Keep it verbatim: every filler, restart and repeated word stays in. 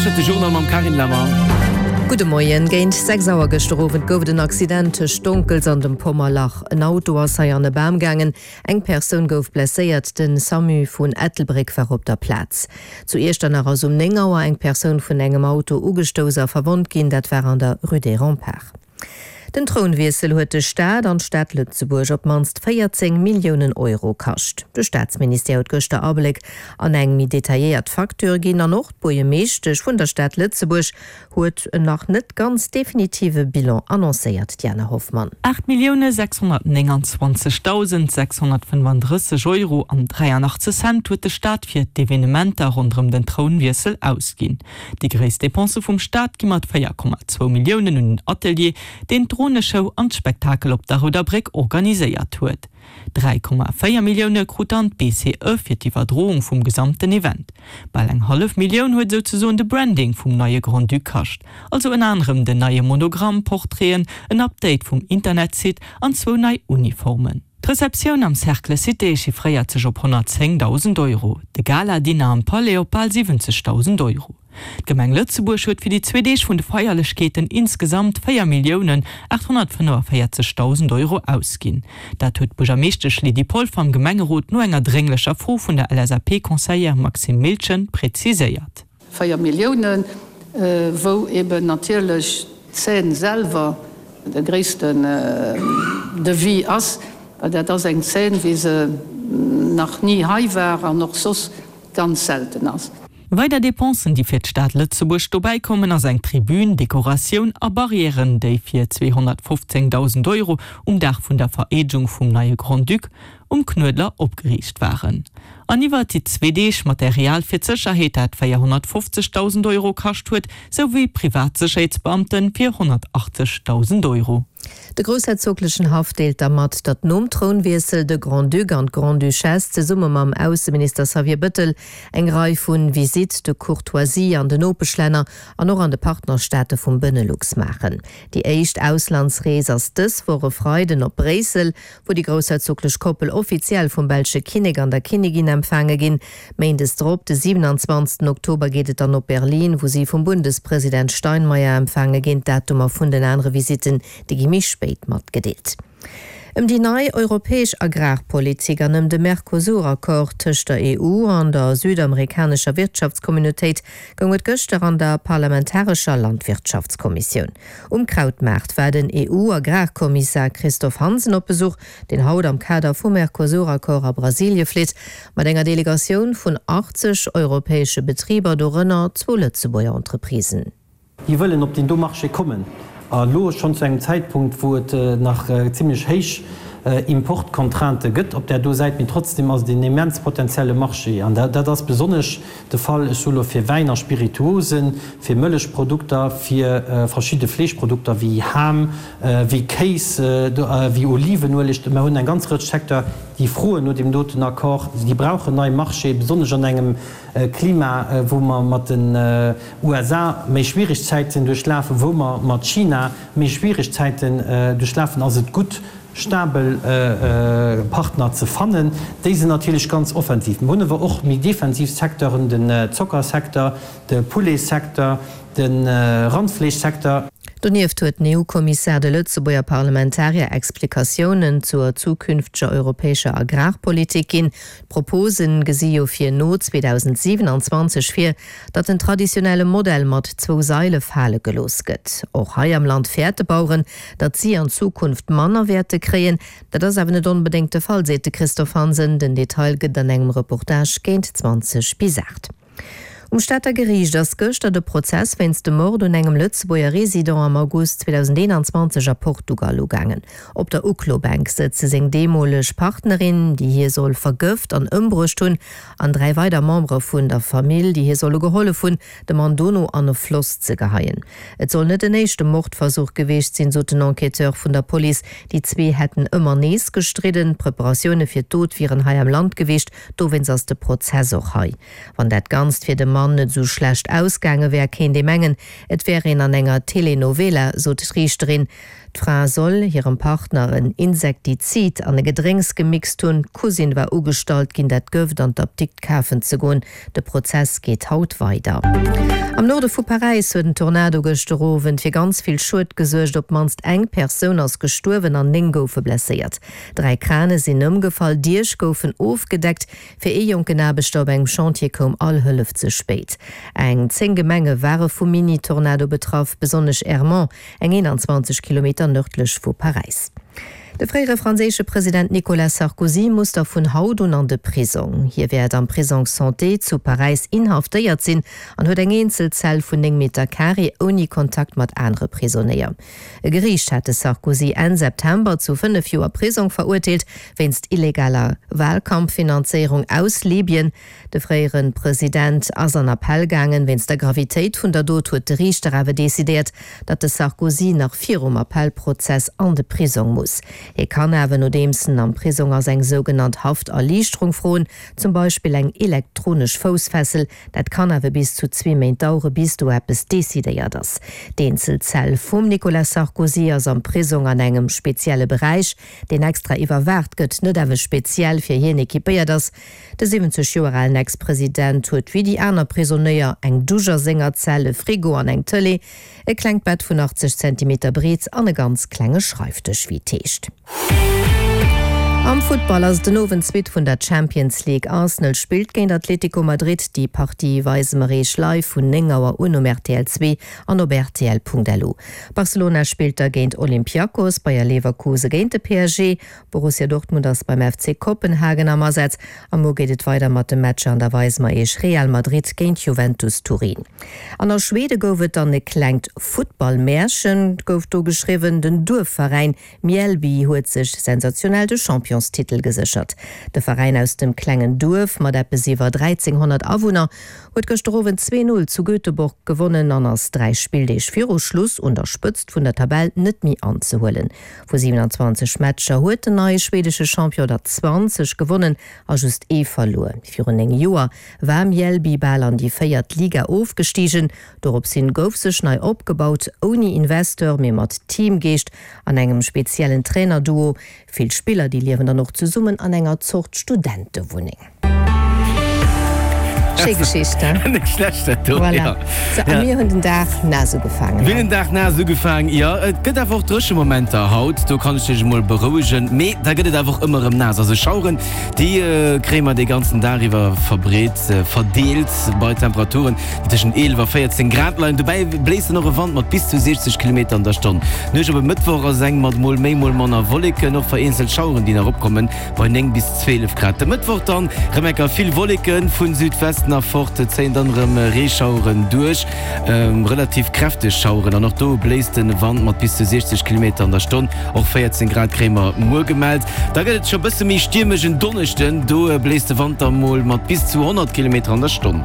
Lauschtert de Journal mam Carine Lemmer. Gudde Moien. Géint sechs Auer gëschter Owend gouf et en Accident tëscht Donkels an dem Pommerlach. En Auto ass hei an e Bam gaangen. Eng Persoun gouf blesséiert. Den SAMU vun Ettelbréck war op der Plaz. Zu Iechternach ass um néng Auer eng Persoun vun engem Auto ugestouss a verwonnt ginn. Dat war an der Rue des Remparts. Den Trounwiessel huet de Staat an d'Stad Lëtzebuerg op d'mannst véierzéng Milliounen Euro kascht. De Staatsministère huet gëschter Abléck an eng méi detailléiert Facture ginn an och d'Buergermeeschtesch vun der Stad Lëtzebuerg huet en nach net ganz definitive Bilan annoncéiert, Diana Hoffmann. Aacht Millioune sechshonnertnénganzwanzegdausend sechshonnertfënnefandrësseg Euro an dräianachtzeg Cent huet de Staat fir d'Evenementer ronderëm den Trounwiessel ausginn. Déi gréisst Depense vum Staat gi mat véier Komma zwou Milliounen un den Atelier, deen d'Droneshow an d'Spektakel op der Rouder Bréck organiséiert huet. Dräi Komma véier Millioune krut dann d'BCE fir d'Iwwerdroung vum gesamten Event. Bal eng hallef Millioun huet souzesoen de Branding vum neie Grand-Duc kascht, also ënner anerem den neie Monogramm, Portraiten, en Update vum Internetsite an zwou nei Uniformen. D'Receptioun am Cercle Cité chiffréiert sech op honnertzéngdausend Euro, de Gala-Dinner am Palais op bal siwwenzegdausend Euro. D'Gemeng Lëtzebuerg huet fir déi zwee Deeg vun de Feierlechkeeten insgesamt véier Milliounen aathonnertfënnefavéierzegdausend Euro ausginn. Dat huet d'Buergermeeschtesch Lydie Polfer am Gemengerot no enger drénglecher Fro vun der LSAP-Conseillère Maxime Miltgen preziséiert. Véier Milliounen, wou eben natierlech d'Scène selwer de gréissten Devis ass, well dat ass eng Scène, wéi se nach ni hei war an och soss ganz selten ass. Weider Depensen, déi fir d'Stad Lëtzebuerg dobäi kommen, ass eng Tribün, Dekoratioun a Barrièren, déi fir zweehonnertfofzéngdausend Euro um Dag vun der Vereedegung vum neie Grand-Duc um Knuedler opgeriicht waren. An iwwert déi zwee Deeg Material fir d'Sécherheet, dat véierhonnertfofzegdausend Euro kascht huet, sou wéi privat Sécherheetsbeamte fir honnertachtzegdausend Euro. De groussherzoglechen Haff deelt da mat, datt nom Trounwiessel de Grand-Duc an d'Grande-Duchesse zesumme mam Ausseminister Xavier Bëttel eng Rei vu Visites de courtoisie an den Nopeschlänner an och an de Partnerstaate vum Benelux maachen. Déi éischt Auslandsrees ass dës Woch e Freiden op Bréissel, wou déi groussherzoglech Koppel offiziell vum belsche Kinnek an der Kinnigin empfaange ginn. Méindes drop, de siewenundzwanzegsten Oktober, geet et dann op Berlin, wou si vum Bundespresident Steinmeier empfaange ginn. D'Datumer vun den anere Visitten, déi gi méi spéit matgedeelt. Ëm déi nei europäesch Agrarpolitik an ëm de Mercosur-Accord tëscht der E U an der südamerikanescher Wirtschaftscommunautéit goung et gëschter an der parlamentarescher Landwirtschaftskommissioun. Um Krautmaart war den E U-Agrarkommissar Christophe Hansen op Besuch, deen haut am Kader vum Mercosur-Accord a Brasilie flitt, mat enger Delegatioun vun achtzeg europäesche Betriber, dorënner zwou Lëtzebuerger Entreprisen. Déi wëllen op deen do Marché kommen, a elo schonn zu engem Zäitpunkt, wou et nach zimlech héich Importcontraintë gëtt op där do Säit. Mee trotzdem ass et een immens potenzielle Marché. An dat ass besonnesch de Fall, ech soe lo, fir Wäin a Spirituosen, fir Mëllechprodukter, fir verschidde Fleeschprodukter wéi Ham, wéi Kéis, wéi Olivenueleg. Mer hunn eng ganz Rëtsch Secteur, déi froen no deem doten Accord. Déi brauchen nei Marchéë, besonnesch an engem Klima, wou mer mat den U S A méi schwiereg Zäiten duerchlafen, wou mer mat China méi schwiereg Zäiten duerchlafen, ass et gutt, stabel Partner ze fannen. Déi sinn natierlech ganz offensiv. Mer hunn awer och méi defensiv Secteuren, den Zockersecteur, de Pouletsecteur, de Randfleeschsecteur. Donieft huet den E U-Kommissar de Lëtzebuerger Parlamentarier Explikatiounen zur zukünfteger europäescher Agrarpolitik ginn. D'Propose gesi jo fir no zweedausendsiwenanzwanzeg vir, datt den traditionelle Modell mat zwou Saile fale gelooss gëtt. Och hei am Land fäerte Baueren, datt si an Zukunft manner wäerte kréien. Dat ass awer net onbedéngt de Fall, seet de Christophe Hansen. Den Detail gëtt an engem Reportage géint zwanzeg bis aacht. Um Stater Geriicht ass gëschter de Prozess wéinst dem Mord un engem Lëtzebuerger Resident am August zweedausendeenanzwanzeg a Portugal ugaangen. Op der Uklobänk sëtze seng deemoleg Partnerin, déi hie soll vergëft an ëmbruecht hunn, an dräi weider Membere vun der Famill, déi hie solle gehollef hunn, de Mann dono an e Floss ze geheien. Et soll net den éischte Mordversuch gewiescht sinn, sot den Enquêteur vun der Police. Déi zwee hätten ëmmer nees gestridden. D'Preparatioune fir d'Dot wieren hei am Land gewiescht, dowéinst ass de Prozess och hei. Wann dat Ganzt fir de Mann Mann net esou schlecht ausgaange wär, Kéint ee mengen, et wär een an enger Telenovela, sot d'Riichterin. D'Fra soll hirem Partner en Insektizid an e Gedrénks gemixt hunn. D'Cousine war ugestallt ginn, dat Gëft an d'Apdikt kafen ze goen. De Prozess geet haut weider. Am Norde vu Paräis huet en Tornado gëschter Owend fir ganz vill Schued gesuergt. Op d'mannst eng Persoun ass gestuerwen an néng goufe blesséiert. Dräi Krane sinn ëmgefall, Diech goufen ofgedeckt. Fir ee jonken Aarbechter op engem Chantier koum all Hëllef ze spéit. Eng zéng Gemenge ware vum Mini-Tornado betraff, besonnesch Ermont, eng eenanzwanzeg Kilometer nërdlech vu Paräis. De fréiere franséische President Nicolas Sarkozy muss da vun haut un an de Prisong. Hie wäert am Prisong Santé zu Paräis inhaftéiert sinn an huet eng eenzel Zell vun néng Meter Carré ouni Kontakt mat anere Prisonéier. E Geriicht hat de Sarkozy Enn September zu fënnef Joer Prisong verurteelt wéinst illegaler Walkampffinanzéierung aus Libyen. De fréiere President ass an Appell gaangen. Wéinst der Gravitéit vun der Dot huet de Riichter awer decidéiert, datt de Sarkozy nach virum Appellprozess an de Prisong muss. Hie kann awer, nodeems en am Prisong ass, eng sougenannt Hafterliichterung froen, zum Beispill eng elektronesch Foussfessel. Dat kann awer bis zu zwee Méint dauere bis do eppes decidéiert ass. D'Eenzelzell vum Nicolas Sarkozy ass am Prisong an engem spezielle Beräich, deen extra iwwerwaacht gëtt, net awer speziell fir hien equipéiert ass. De siwwenzeg Joer alen Ex-President huet wéi déi aner Prisonéier eng Dusch a senger Zell, e Frigo an eng Tëlee, e klengt Bett vun achtzeg Zentimeter Breet an e ganz klenge Schreifdësch, wéi et heescht. Am Futtball ass et den Owend d'Suite vun der Champions League. Arsenal spillt géint Atlético Madrid. Déi Partie weise mer iech live vun néng Auer un um rtl zwee an op rtl.lu. Barcelona spillt da géint Olympiakos, Bayer Leverkuse géint de P S G. Borussia Dortmund ass beim F C Kopenhagen am Asaz a muer geet et weider mat de Matcher an da weise mer iech Real Madrid géint Juventus Turin. An a Schwede gouf et dann e klengt Futtballmärchen gouf do geschriwwen, den Duerfveräin Mjällby huet sech sensationell de Championstitel geséchert. De Veräin aus dem klengen Duerf mat eppes iwwer dräizénghonnert Awunner huet gëschter Owend zwee Null zu Göteborg gewonnen an ass dräi Spilldeeg viru Schluss un der Spëtzt vun der Tabell net méi anzehuelen. Vu siewenanzwanzeg Matcher huet den neie schwedesche Champion der zwanzeg gewonnen a just ee verluer. Virun néng Joer war Mjällby bal an déi véiert Liga ofgestigen. Dorops hin gouf sech nei opgebaut, ouni Investeur, mee mat Teamgeescht an engem speziellen Trainerduo. Vill Spiller, déi liewen dann och zesummen an enger Zort Studentewunneng. Schéi Geschicht, he? Net schlecht dat do, Voilà. ja. Sou, a Ja. mir hunn den Dag naass ugefaangen. Mir hunn den Dag naass ugefaangen, jo. Et gëtt awer och dréche Momenter haut, do kann ech dech emol berouegen. Mee da gëtt et awer och ëmmer erëm naass. Also Schaueren, déi kréie mer dee ganzen Dag iwwer verbreet, verdeelt bei Temperaturen, déi tëschent eelef a véierzéng Grad leien. Dobäi bléist dann och e Wand mat bis zu siechzeg Kilometer an der Stonn. D'Nuecht op e Mëttwoch ass eng mat mol méi, mol manner Wolleken, och vereenzelt Schaueren, déi nach opkommen, bei néng bis zwielef Grad. De Mëttwoch dann rëm enker vill Wolleken, vun Südwesten erfort zéien dann rëm Reeschaueren duerch, relativ kräfteg Schaueren an och do bléist de Wand mat bis zu siechzeg Kilometer an der Stonn. Och véierzéng Grad kréie mer muer gemellt. Da gëtt et scho bësse méi stiermesch en Donneschden, do bléist de Wand da mol mat bis zu honnert Kilometer an der Stonn.